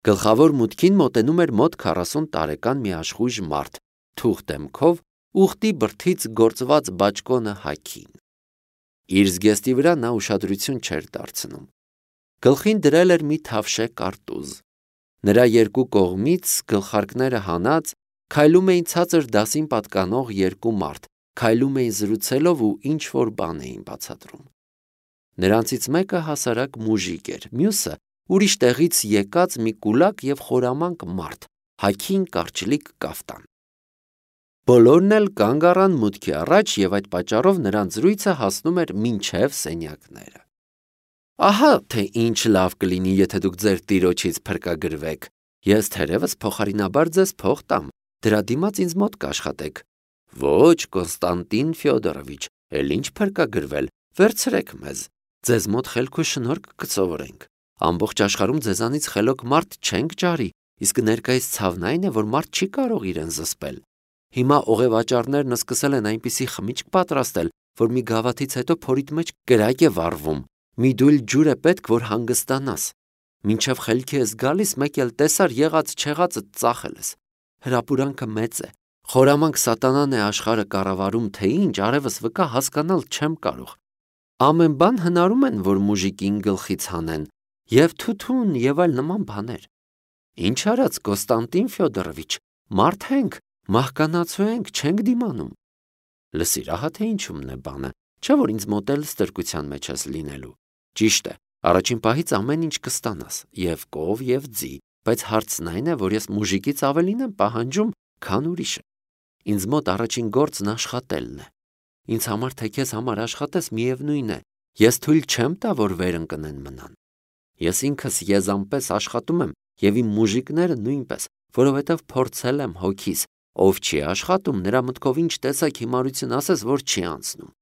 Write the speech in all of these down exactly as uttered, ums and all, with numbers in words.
Գլխավոր մուտքին մոտենում էր մոտ քառասուն տարեկան մի աշխույժ մարդ, թուղ դեմքով, ուխտի բրդից գործված բաճկոնը հագին։ Իր զգեստի վրա նա ուշադրություն չէր դարձնում։ Գլխին դրել էր մի թավշե կարտուզ։ Նրա երկու կողմից գլխարկները հանած քայլում էին ցածր դասին պատկանող երկու մարդ, քայլում էին զրուցելով ու ինչ-որ բան էին բացատրում։ Նրանցից մեկը հասարակ մուժիկ էր, մյուսը ուրիշ տեղից եկած մի կուլակ և խորամանկ մարդ, հագին կարճլիկ կաֆտան։ Բոլորն էլ կանգ առան մուտքի առաջ և այդ պատճառով նրանց զրույցը հասնում էր մինչև սենյակները։ Ահա թե ինչ լավ կլինի, եթե դուք ձեր տիրոջից փրկագրվեք։ Ես թերևս փոխարինաբար ձեզ փող տամ, դրա դիմաց ինձ մոտ կաշխատեք։ Ոչ, Կոնստանտին Ֆյոդորովիչ, էլ ինչ փրկագրվել, վերցրեք մեզ, ձեզ մոտ խելք ու շնորհք կսովորենք։ Ամբողջ աշխարհում ձեզանից խելոք մարդ չենք ջարի, իսկ ներկայիս ցավն այն է, որ մարդ չի կարող իրեն զսպել։ Հիմա օղևաճառներն սկսել են այնպիսի խմիչք պատրաստել, որ մի գավաթից հետո փորիդ մեջ կրակ է վառվում, մի դույլ ջուր է պետք, որ հանգստանաս։ Մինչև խելքի ես գալիս, մեկ էլ տեսար եղած չեղածը ծախել ես։ Հրապուրանքը մեծ է, խորամանկ սատանան է աշխարհը կառավարում, թե ինչ արևս վկա հասկանալ չեմ կարող։ Ամեն բան հնարում են, որ մուժիկին գլխից հանեն, և թութուն և այլ նման բաներ։ Ինչ արած, Կոնստանտին Ֆյոդորովիչ, մարդ ենք, մահկանացու ենք, չենք դիմանում։ Լսիր, ահա թե ինչումն է բանը, չէ՞ որ ինձ մոտ էլ ստրկության մեջ ես լինելու։ Ճիշտ է, առաջին պահից ամեն ինչ կստանաս, և կով, և ձի, բայց հարցն այն է, որ ես մուժիկից ավելին եմ պահանջում, քան ուրիշը։ Ինձ մոտ առաջին գործն աշխատելն է։ Ինձ համար թե քեզ համար աշխատես, միևնույն է, ես թույլ չեմ տա, որ վեր ընկնեն մնան։ Ես ինքս եզանպես աշխատում եմ և իմ մուժիկները նույնպես, որովհետև փորձել եմ հոգիս, ով չի աշխատում, նրա մտքով ինչ տեսակ հիմարություն ասես, որ չի անցնում։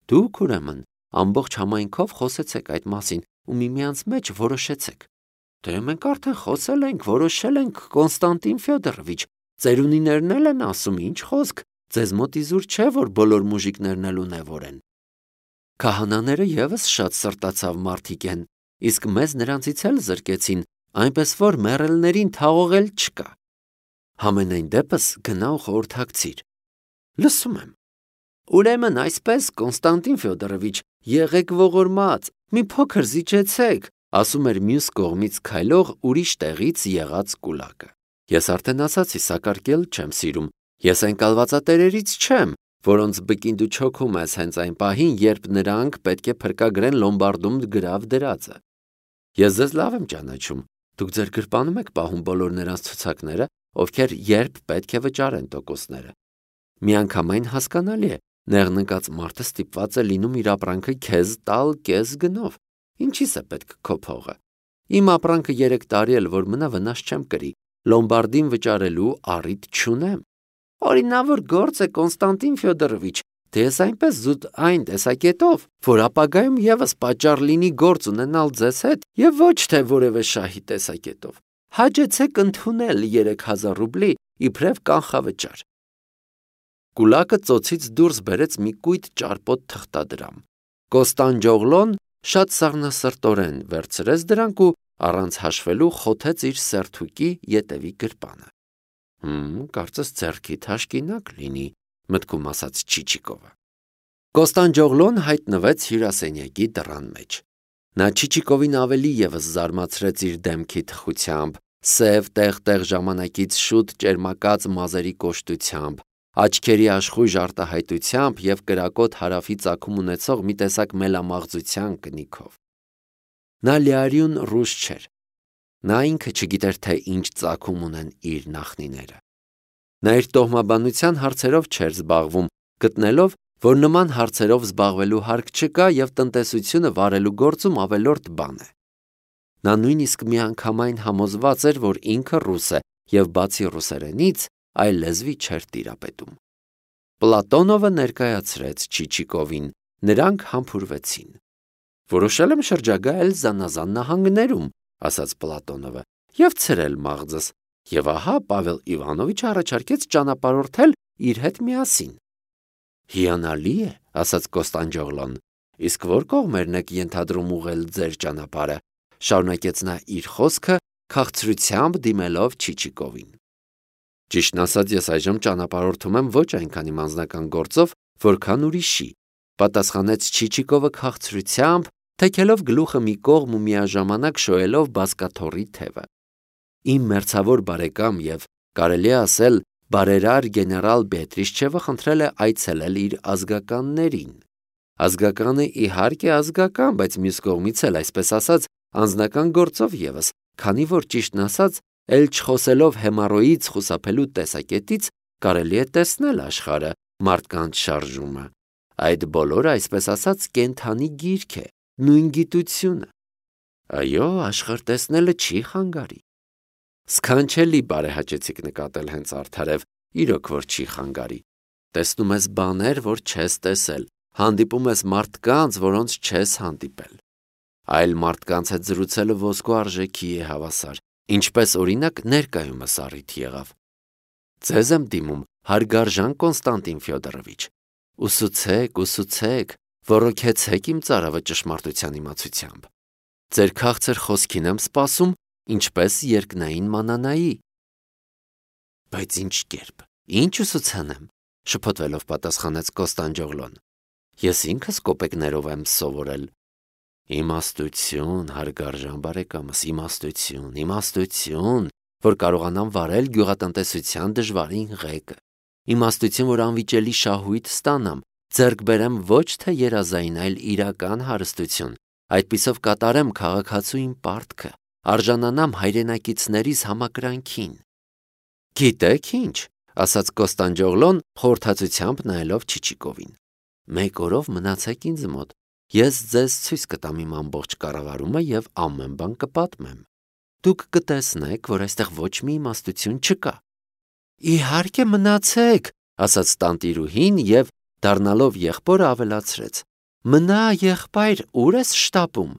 Դուք ուրեմն ամբողջ համայնքով խոսեցեք այդ մասին ու միմյանց մեջ որոշեցեք։ Դե մենք արդեն խոսել ենք, որոշել ենք, Կոնստանտին Ֆյոդորովիչ, ծերունիներն էլ են ասում, ինչ խոսք, ձեզ մոտ իզուր չէ, որ բոլոր մուժիկներն էլ ունևոր են։ Քահանաները ևս շատ սրտացավ մարդիկ են, իսկ մեզ նրանցից էլ զրկեցին, այնպես որ մեռելներին թաղողել չկա։ Համենայն դեպս գնա ու խորհրդակցիր։ Լսում եմ։ Ուրեմն այսպես, Կոնստանտին Ֆյոդորովիչ, եղեք ողորմած, մի փոքր զիջեցեք, ասում էր մյուս կողմից քայլող ուրիշ տեղից եղած կուլակը։ Ես արդեն ասացի, սակարկել չեմ սիրում, ես այն կալվածատերերից չեմ, որոնց բկին դու չոքում ես հենց այն պահին, երբ նրանք պետք է փրկագրեն լոմբարդում գրավ դրածը։ Ես ձեզ լավ եմ ճանաչում, դուք ձեր գրպանում եք պահում բոլոր նրանց ցուցակները, ովքեր երբ պետք է վճարեն տոկոսները։ Միանգամայն հասկանալի է, նեղնկած մարդը ստիպված է լինում իր ապրանքը քեզ տալ կես գնով։ Ինչի՞ս է պետք քո փողը։ Իմ ապրանքը երեք տարի էլ որ մնա վնաս չեմ կրի, լոմբարդին վճարելու առիթ չունեմ։ Օրինավոր գործ է, Կոնստանտին Ֆյոդորովիչ, թե ես այնպես զուտ այն տեսակետով, որ ապագայում ևս պատճառ լինի գործ ունենալ ձեզ հետ և ոչ թե որևէ շահի տեսակետով։ Հաջեցեք ընդունել երեք հազար ռուբլի իբրև կանխավճար։ Կուլակը ծոցից դուրս բերեց մի կույտ ճարպոտ թղթադրամ։ Կոստանդջոգլոն շատ սառնասրտորեն վերցրեց դրանք ու առանց հաշվելու խոթեց իր սերթուկի ետևի գրպանը։ Հմ, կարծես ձեռքի թաշկինակ լինի, մտքում ասաց Չիչիկովը։ Կոստանդջոգլոն հայտնվեց հյուրասենյակի դռան մեջ։ Նա Չիչիկովին ավելի ևս զարմացրեց իր դեմքի թխությամբ, սև տեղ-տեղ ժամանակից շուտ ճերմակած մազերի կոշտությամբ, աչքերի աշխույժ արտահայտությամբ և կրակոտ հարավի ծագում ունեցող մի տեսակ մելամաղձության կնիքով։ Նա լիարյուն ռուս չէր։ Նա ինքը չգիտեր, թե ինչ ծագում ունեն իր նախնիները։ Նա իր տոհմաբանության հարցերով չէր զբաղվում, գտնելով, որ նման հարցերով զբաղվելու հարկ չկա և տնտեսությունը վարելու գործում ավելորդ բան է։ Նա նույնիսկ միանգամայն համոզված էր, որ ինքը ռուս է և բացի ռուսերենից այլ լեզվի չէր տիրապետում։ Պլատոնովը ներկայացրեց Չիչիկովին, նրանք համբուրվեցին։ Որոշել եմ շրջագայել զանազան նահանգներում, ասաց Պլատոնովը, և ցրել մաղձս, և ահա Պավել Իվանովիչը առաջարկեց ճանապարհորդել իր հետ միասին։ Հիանալի է, ասաց Կոստանդջոգլոն, իսկ որ կողմերն եք ենթադրում ուղղել ձեր ճանապարհը, շարունակեց նա իր խոսքը քաղցրությամբ դիմելով Չիչիկովին։ Ճիշտն ասած, ես այժմ ճանապարհորդում եմ ոչ այնքան իմ անձնական գործով, որքան ուրիշի, պատասխանեց Չիչիկովը քաղցրությամբ, թեքելով գլուխը մի կողմ ու միաժամանակ շոյելով բազկաթոռի թևը։ Իմ մերձավոր բարեկամ եւ կարելի է ասել բարերար գեներալ Բետրիշչևը խնդրել է այցելել իր ազգականներին։ Ազգականը իհարկե ազգական, բայց մյուս կողմից էլ, այսպես ասած, անձնական գործով ևս, քանի որ ճիշտն ասած, ել չխոսելով հեմառոյից խուսափելու տեսակետից կարելի է տեսնել աշխարհը, մարդկանց շարժումը։ Այդ բոլորը, այսպես ասած, կենդանի գիրք է, նույն գիտությունը։ Այո, աշխարհ տեսնելը չի խանգարի։ Սքանչելի բարեհաճեցիք նկատել հենց արդարև, իրոք որ չի խանգարի։ Տեսնում ես բաներ, որ չես տեսել, հանդիպում ես մարդկանց, որոնց չես հանդիպել։ Այլ մարդկանց հետ զրուցելը ոսկու արժեքի է հավասար, ինչպես օրինակ ներկայումս առիթ եղավ։ Ձեզ եմ դիմում, հարգարժան Կոնստանտին Ֆյոդորովիչ, ուսուցեք, ուսուցեք, ոռոգեցեք իմ ծարավը ճշմարտության իմացությամբ։ Ձեր քաղցր խոսքին եմ սպասում, ինչպես երկնային մանանայի։ Բայց ինչ կերպ, ինչ ուսուցանեմ, շփոթվելով պատասխանեց Կոստանդջոգլոն։ Ես ինքս կոպեկներով եմ սովորել։ Իմաստություն, հարգարժան բարեկամս, իմաստություն, իմաստություն, որ կարողանամ վարել գյուղատնտեսության դժվարին ղեկը։ Իմաստություն, որ անվիճելի շահույթ ստանամ, ձեռք բերեմ ոչ թե երազային, այլ իրական հարստություն, այդպիսով կատարեմ քաղաքացուին պարտքը, արժանանամ հայրենակիցներիս համակրանքին։ Գիտեք ինչ, ասաց Կոստանդջոգլոն խորհրդածությամբ նայելով Չիչիկովին։ Մեկ օրով մնացեք ինձ մոտ, ես ձեզ ցույց կտամ իմ ամբողջ կառավարումը եւ ամեն բան կպատմեմ։ Դուք կտեսնեք, որ այստեղ ոչ մի իմաստություն չկա։ Իհարկե մնացեք, ասաց տանտիրուհին եւ դառնալով եղբորը ավելացրեց. Մնա, եղբայր, ուր ես շտապում։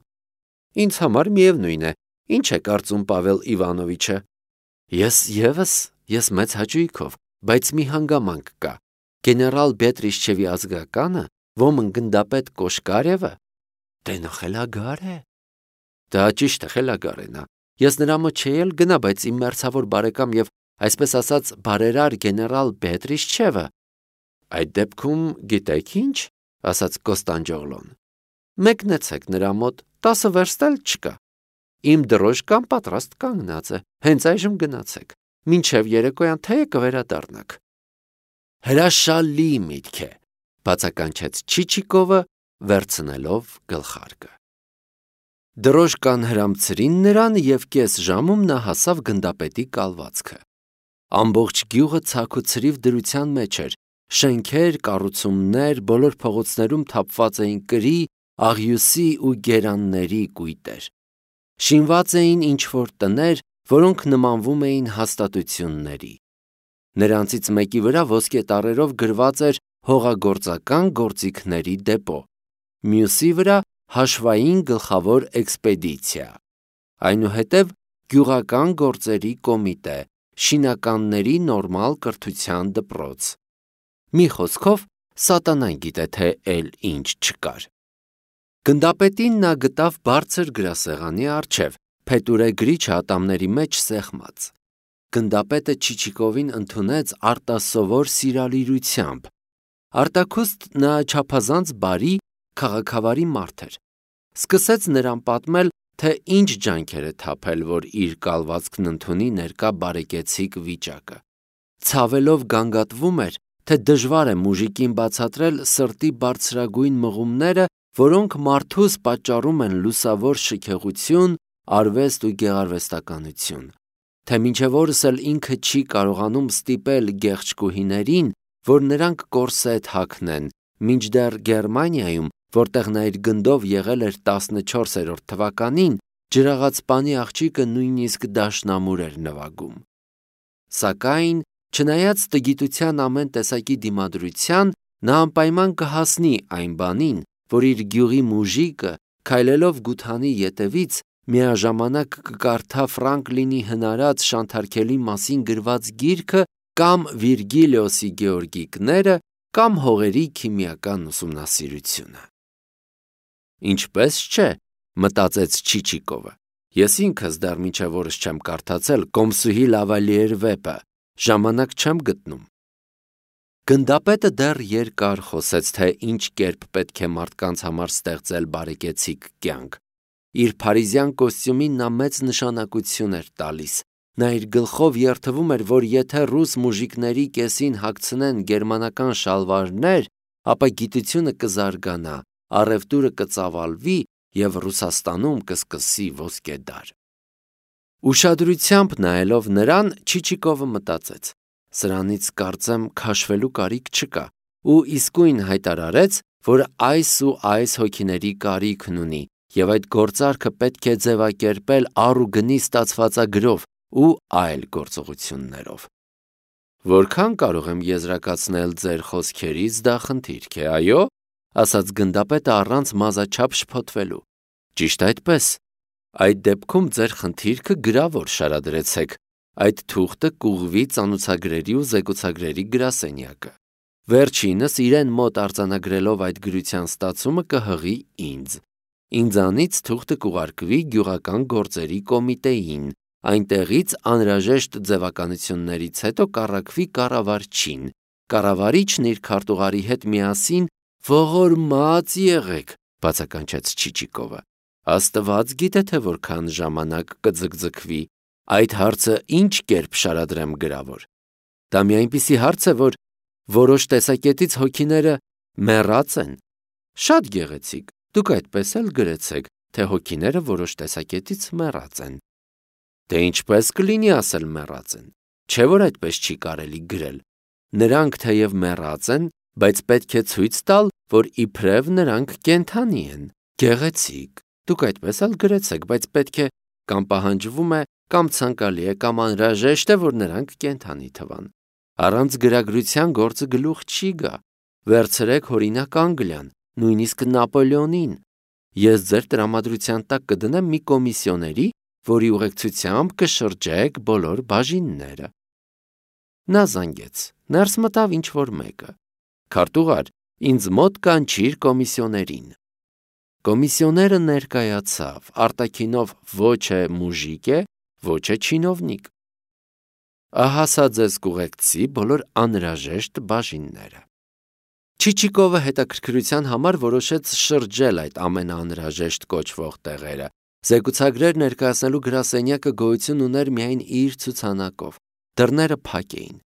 Ինձ համար միևնույն է, ինչ է կարծում Պավել Իվանովիչը։ Ես եւս, ես մեծ հաճույքով, բայց մի հանգամանք կա։ Գեներալ Բետրիշչևի ազգականը, ոմն գնդապետ Կոշկարևը, դե նա խելագար է։ Դա ճիշտ է, խելագար է նա։ Ես նրա մոտ չէի էլ գնա, բայց իմ մերձավոր բարեկամ եւ այսպես ասած բարերար գեներալ Բետրիշչևը։ Այդ դեպքում գիտեք ինչ, ասաց Կոստանդջոգլոն։ Մեկնեցեք նրա մոտ, տասը վերստ էլ չկա։ Իմ դրոշկան պատրաստ կանգնած է, հենց այժմ գնացեք։ Մինչև երեկոյան թեյը կվերադառնաք։ Հրաշալի միտք է, բացականչեց Չիչիկովը, վերցնելով գլխարկը։ Դրոշկան հրամցրին նրան եւ կես ժամում նա հասավ գնդապետի կալվածքը։ Ամբողջ գյուղը ցաք ու ցրիվ դրության մեջ էր, շենքեր, կառուցումներ, բոլոր փողոցներում թափված էին կրի, աղյուսի ու գերանների կույտեր։ Շինված էին ինչ-որ տներ, որոնք նմանվում էին հաստատությունների։ Նրանցից մեկի վրա ոսկե տառերով գրված էր հողագործական գործիքների դեպո, մյուսի վրա հաշվային գլխավոր էքսպեդիցիա, այնուհետև գյուղական գործերի կոմիտե, շինականների նորմալ կրթության դպրոց։ Մի խոսքով սատանան գիտե թե էլ ինչ չկար։ Գնդապետին նա գտավ բարձր գրասեղանի առջև, փետուրե գրիչ ատամների մեջ սեղմած։ Գնդապետը Չիչիկովին ընդունեց արտասովոր սիրալիրությամբ։ Արտաքուստ նա չափազանց բարի, քաղաքավարի մարդ էր։ Սկսեց նրան պատմել, թե ինչ ջանքեր է թափել, որ իր կալվածքն ընդունի ներկա բարեկեցիկ վիճակը։ Ցավելով գանգատվում էր, թե դժվար է մուժիկին բացատրել սրտի բարձրագույն մղումները, որոնք մարդուս պատճառում են լուսավոր շքեղություն, արվեստ ու գեղարվեստականություն, թե մինչև օրս էլ ինքը չի կարողանում ստիպել գեղչկուհիներին, որ նրանք կորսետ հագնեն, մինչդեռ Գերմանիայում, որտեղ նա իր գնդով եղել էր տասնչորսերորդ թվականին, ջրաղացպանի աղջիկը նույնիսկ դաշնամուր էր նվագում։ Սակայն, չնայած տգիտության ամեն տեսակի դիմադրության, նա անպայման կհասնի այն բանին, որ իր գյուղի մուժիկը, քայլելով գութանի ետևից, միաժամանակ կկարդա Ֆրանկլինի հնարած շանթարքելի մասին գրված գիրքը կամ Վիրգիլիոսի Գեորգիկները կամ հողերի քիմիական ուսումնասիրությունը։ Ինչպես չէ, մտածեց Չիչիկովը, Ես ինքս դեռ մինչև օրս չեմ կարդացել Կոմսուհի Լավալիեր վեպը, ժամանակ չեմ գտնում։ Գնդապետը դեռ երկար խոսեց, թե ինչ կերպ պետք է մարդկանց համար ստեղծել բարեկեցիկ կյանք։ Իր փարիզյան կոստյումին նա մեծ նշանակություն էր տալիս։ Նա իր գլխով երթվում էր, որ եթե ռուս մուժիկների կեսին հագցնեն գերմանական շալվարներ, ապա գիտությունը կզարգանա, առևտուրը կծավալվի և Ռուսաստանում կսկսի ոսկե դար։ Ուշադրությամբ նայելով նրան, Չիչիկովը մտածեց. սրանից կարծեմ քաշվելու կարիք չկա, ու իսկույն հայտարարեց, որ այս ու այս հոգիների կարիքն ունի, և այդ գործարքը պետք է ձևակերպել առ ու գնի ստացվածագրով ու այլ գործողություններով։ Որքան կարող եմ եզրակացնել ձեր խոսքերից, դա խնդիրք է, այո, ասաց գնդապետը առանց մազաչափ շփոթվելու։ Ճիշտ այդպես։ Այդ դեպքում ձեր խնդիրքը գրավոր շարադրեցեք, այդ թուղթը կուղղվի ծանոթագրերի ու զեկուցագրերի գրասենյակը։ Վերջինս իրեն մոտ արձանագրելով այդ գրության ստացումը կհղի ինձ։ Ինձանից թուղթը կուղարկվի գյուղական գործերի կոմիտեին, այնտեղից անհրաժեշտ ձևականություններից հետո կառաքվի կառավարչին, կառավարիչն իր քարտուղարի հետ միասին ողորմած եղեք, բացականչեց Չիչիկովը։ Աստված գիտե թե որքան ժամանակ կձգձգվի, այդ հարցը ինչ կերպ շարադրեմ գրավոր։ Դա մի այնպիսի հարց է, որ որոշ տեսակետից հոգիները մեռած են։ Շատ գեղեցիկ, դուք այդպես էլ գրեցեք, թե հոգիները որոշ տեսակետից մեռած են։ Դե ինչպես կլինի ասել մեռած են, չէ՞ որ այդպես չի կարելի գրել։ Նրանք թեև մեռած են, բայց պետք է ցույց տալ, որ իբրև նրանք կենդանի են։ Գեղեցիկ, դուք այդպես էլ գրեցեք, բայց պետք է կամ պահանջվում է, կամ ցանկալի է, կամ անհրաժեշտ է, որ նրանք կենդանի թվան։ Առանց գրագրության գործը գլուխ չի գա։ Վերցրեք օրինակ Անգլիան, նույնիսկ Նապոլեոնին։ Ես ձեր տրամադրության տակ կդնեմ մի կոմիսիոների, որի ուղեկցությամբ կշրջեք բոլոր բաժինները։ Նա զանգեց, ներս մտավ ինչ-որ մեկը։ Քարտուղար, ինձ մոտ կանչիր կոմիսիոներին։ Կոմիսիոները ներկայացավ, արտաքինով ոչ է մուժիկ է, ոչ է չինովնիկ։ Ահա սա ձեզ կուղեկցի բոլոր անհրաժեշտ բաժինները։ Չիչիկովը հետաքրքրության համար որոշեց շրջել այդ ամենաանհրաժեշտ կոչվող տեղերը։ Զեկուցագրեր ներկայացնելու գրասենյակը գոյություն ուներ միայն իր ցուցանակով։ Դռները փակ էին։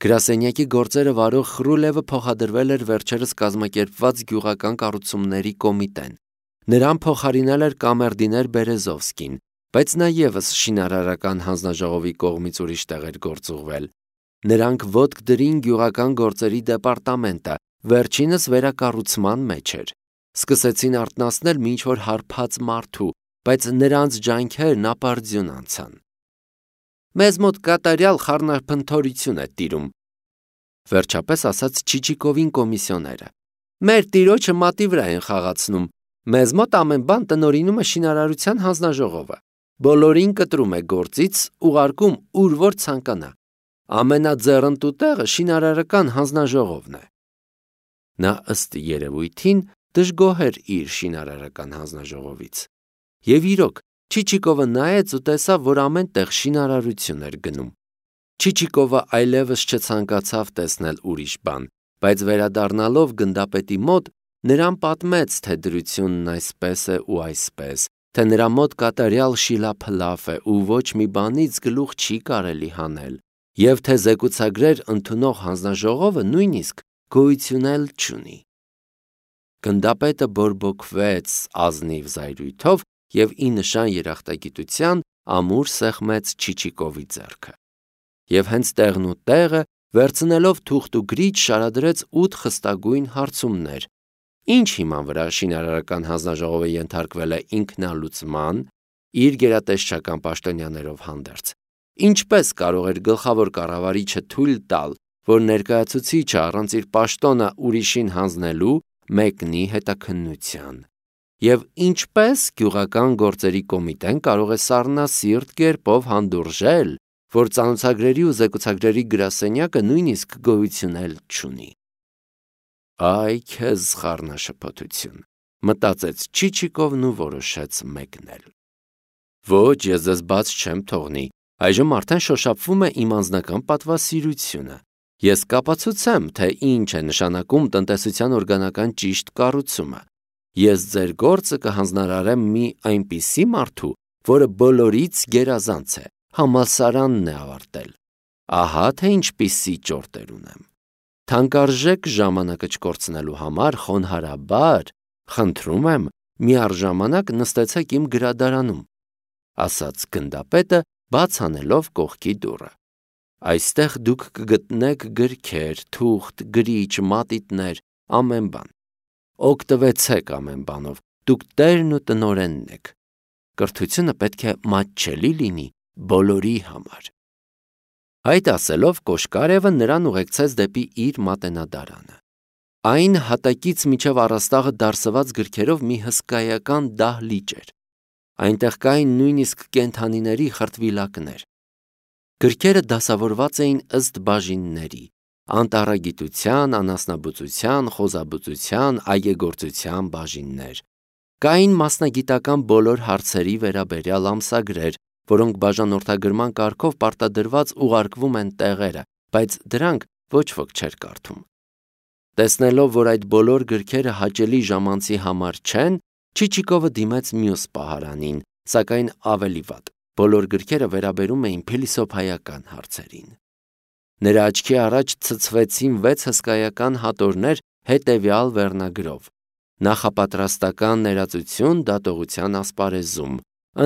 Գրասենյակի գործերը վարող Խրուլևը փոխադրվել էր վերջերս կազմակերպված գյուղական կառուցումների կոմիտեն։ Նրան փոխարինել էր կամերդիներ Բերեզովսկին, բայց նա ևս շինարարական հանձնաժողովի կողմից ուրիշ տեղ էր գործուղվել։ Նրանք ոտք դրին գյուղական գործերի դեպարտամենտը, վերջինս վերակառուցման մեջ էր։ Սկսեցին արթնացնել մինչ որ հարբած մարդու, բայց նրանց ջանքերն ապարդյուն անցան։ Մեզ մոտ կատարյալ խառնափնթորություն է տիրում, վերջապես ասաց Չիչիկովին կոմիսիոները։ Մեր տիրոջը մատի վրա են խաղացնում։ Մեզ մոտ ամեն բան տնօրինում է շինարարության հանձնաժողովը։ Բոլորին կտրում է գործից, ուղարկում ուր որ ցանկանա։ Ամենաձեռնտու տեղը շինարարական հանձնաժողովն է։ Նա ըստ երևույթին դժգոհ էր իր շինարարական հանձնաժողովից։ Եվ իրոք, Չիչիկովը նայեց ու տեսավ, որ ամեն տեղ շինարարություն էր գնում։ Չիչիկովը այլևս չցանկացավ տեսնել ուրիշ բան, բայց վերադառնալով գնդապետի մոտ, նրան պատմեց, թե դրությունն այսպես է ու այսպես, թե նրա մոտ կատարյալ շիլափլաֆ է ու ոչ մի բանից գլուխ չի կարելի հանել, և թե զեկուցագրեր ընդունող հանձնաժողովը նույնիսկ գոյություն էլ չունի։ Գնդապետը բորբոքվեց ազնիվ զայրույթով և ի նշան երախտագիտության ամուր սեղմեց Չիչիկովի ձեռքը։ Եվ հենց տեղն ու տեղը, վերցնելով թուղթ ու գրիչ, շարադրեց ութ խստագույն հարցումներ։ Ինչ հիման վրա շինարարական հանձնաժողովը ենթարկվել է ինքնալուծման, իր գերատեսչական պաշտոնյաներով հանդերձ։ Ինչպես կարող էր գլխավոր կառավարիչը թույլ տալ, որ ներկայացուցիչը առանց իր պաշտոնը ուրիշին հանձնելու մեկնի հետաքննության։ Եվ ինչպես գյուղական գործերի կոմիտեն կարող է սառնասիրտ կերպով հանդուրժել, որ ծանոթագրերի ու զեկուցագրերի գրասենյակը նույնիսկ գոյություն էլ չունի։ Այ քեզ խառնաշփոթություն, մտածեց Չիչիկովն ու որոշեց մեկնել։ Ոչ, ես ձեզ բաց չեմ թողնի, այժմ արդեն շոշափվում է իմ անձնական պատվասիրությունը։ Ես կապացուցեմ, թե ինչ է նշանակում տնտեսության օրգանական ճիշտ կառուցումը։ Ես ձեր գործը կհանձնարարեմ մի այնպիսի մարդու, որը բոլորից գերազանց է, համալսարանն է ավարտել։ Ահա թե ինչպիսի ճորտեր ունեմ։ Թանկարժեք ժամանակը չկորցնելու համար խոնարհաբար խնդրում եմ միառժամանակ նստեցեք իմ գրադարանում, ասաց գնդապետը, բաց անելով կողքի դուռը։ Այստեղ դուք կգտնեք գրքեր, թուղթ, գրիչ, մատիտներ, ամեն բան։ Օգտվեցեք ամեն բանով, դուք տերն ու տնօրենն եք։ Կրթությունը պետք է մատչելի լինի բոլորի համար։ Այդ ասելով Կոշկարևը նրան ուղեկցեց դեպի իր մատենադարանը։ Այն հատակից մինչև առաստաղը դարսված գրքերով մի հսկայական դահլիճ էր։ Այնտեղ կային նույնիսկ կենդանիների խրտվիլակներ։ Գրքերը դասավորված էին ըստ բաժինների՝ անտառագիտության, անասնաբուծության, խոզաբուծության, այգեգործության բաժիններ։ Կային մասնագիտական բոլոր հարցերի վերաբերյալ ամսագրեր, որոնք բաժանորդագրման կարգով պարտադրված ուղարկվում են տեղերը, բայց դրանք ոչ ոք չէր կարդում։ Տեսնելով, որ այդ բոլոր գրքերը հաճելի ժամանցի համար չեն, Չիչիկովը դիմեց մյուս պահարանին, սակայն ավելի վատ։ Բոլոր գրքերը վերաբերում էին փիլիսոփայական հարցերին։ Նրա աչքի առաջ ցցվեցին վեց հսկայական հատորներ հետևյալ վերնագրով. նախապատրաստական ներածություն դատողության ասպարեզում,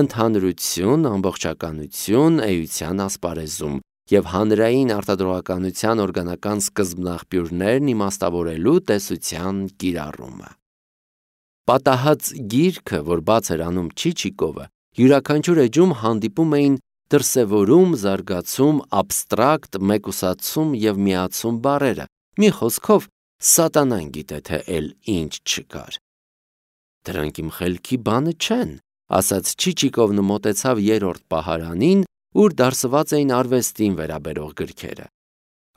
ընդհանրություն, ամբողջականություն, էության ասպարեզում և հանրային արտադրողականության օրգանական սկզբնաղբյուրներն իմաստավորելու տեսության կիրառումը։ Պատահած գիրքը, որ բաց էր անում Չիչիկովը, յուրաքանչյուր էջում հանդիպում էին դրսևորում, զարգացում, աբստրակտ, մեկուսացում և միացում բառերը, մի խոսքով սատանան գիտե թե էլ ինչ չկար։ Դրանք իմ խելքի բանը չեն, ասաց Չիչիկովն ու մոտեցավ երրորդ պահարանին, ուր դարսված էին արվեստին վերաբերող գրքերը։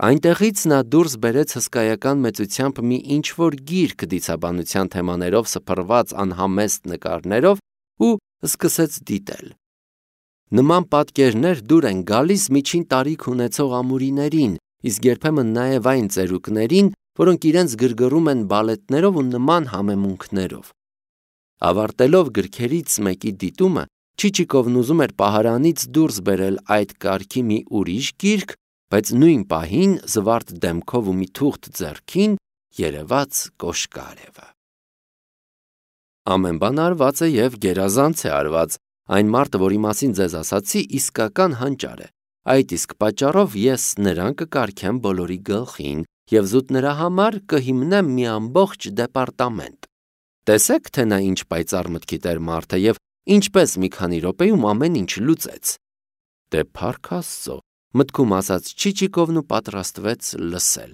Այնտեղից նա դուրս բերեց հսկայական մեծությամբ մի ինչ-որ գիրք դիցաբանության թեմաներով սփռված անհամեստ նկարներով ու սկսեց դիտել։ Նման պատկերներ դուր են գալիս միջին տարիք ունեցող ամուրիներին, իսկ երբեմն նաև այն ծերուկներին, որոնք իրենց գրգռում են բալետներով ու նման համեմունքներով։ Ավարտելով գրքերից մեկի դիտումը, Չիչիկովն ուզում էր պահարանից դուրս բերել այդ կարգի մի ուրիշ գիրք, բայց նույն պահին զվարթ դեմքով ու մի թուղթ ձեռքին երևաց Կոշկարևը։ Ամեն բան արված է և գերազանց է արված, այն մարդը, որի մասին ձեզ ասացի, իսկական հանճար է, այդ իսկ պատճառով ես նրան կկարգեմ բոլորի գլխին և զուտ նրա համար կհիմնեմ մի ամբողջ դեպարտամենտ։ Տեսեք, թե նա ինչ պայծառ մտքիդ էր մարդը և ինչպես մի քանի րոպեում ամեն ինչ լուծեց։ Դե փառք Աստծո, մտքում ասաց Չիչիկովն ու պատրաստվեց լսել։